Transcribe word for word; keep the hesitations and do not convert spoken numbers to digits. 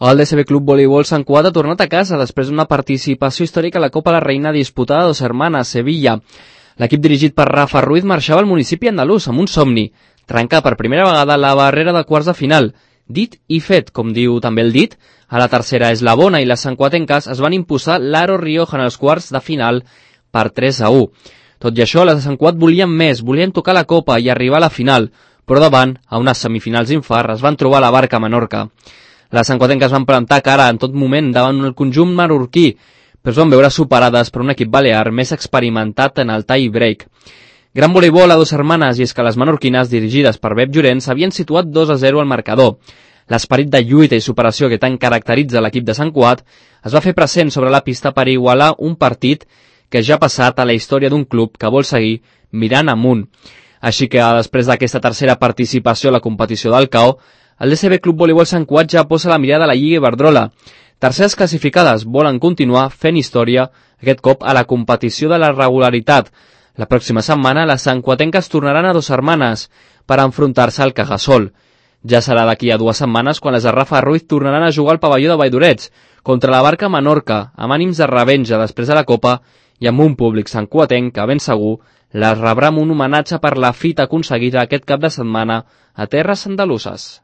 El D S B Club Voleibol Sant Cugat ha tornat a casa després d'una participació històrica a la Copa la Reina disputada a Dos Hermanas, Sevilla. L'equip dirigit per Rafa Ruiz marxava al municipi andalús amb un somni, trencar per primera vegada la barrera de quarts de final. Dit i fet, com diu també el dit, a la tercera eslabona i les santcuatenques es van imposar l'Aro Rioja en els quarts de final per tres a u. Tot i això, les de Sant Cugat volien més, volien tocar la Copa i arribar a la final, però davant, a unes semifinals infart, es van trobar la barca a Menorca. Les santcuatenques van plantar cara en tot moment davant el conjunt marorquí, però es van veure superades per un equip balear més experimentat en el tie break. Gran voleibol a Dos Hermanes, i és que les menorquines, dirigides per Bep Llorenç, havien situat dos a zero al marcador. L'esperit de lluita i superació que tant caracteritza l'equip de Sant Cugat es va fer present sobre la pista per igualar un partit que ja ha passat a la història d'un club que vol seguir mirant amunt. Així que, després d'aquesta tercera participació a la competició del C A O, el D S B Club Voleibol Sant Cugat ja posa la mirada a la Lliga Iberdrola. Terceres classificades volen continuar fent història, aquest cop a la competició de la regularitat. La pròxima setmana les santcuatenques tornaran a Dos Hermanes per enfrontar-se al Cajasol. Ja serà d'aquí a dues setmanes quan les de Rafa Ruiz tornaran a jugar al pavelló de Valldorets contra la Barca Menorca, amb ànims de revenja després de la Copa i amb un públic santcuatenc que ben segur les rebrà amb un homenatge per la fita aconseguida aquest cap de setmana a terres andaluses.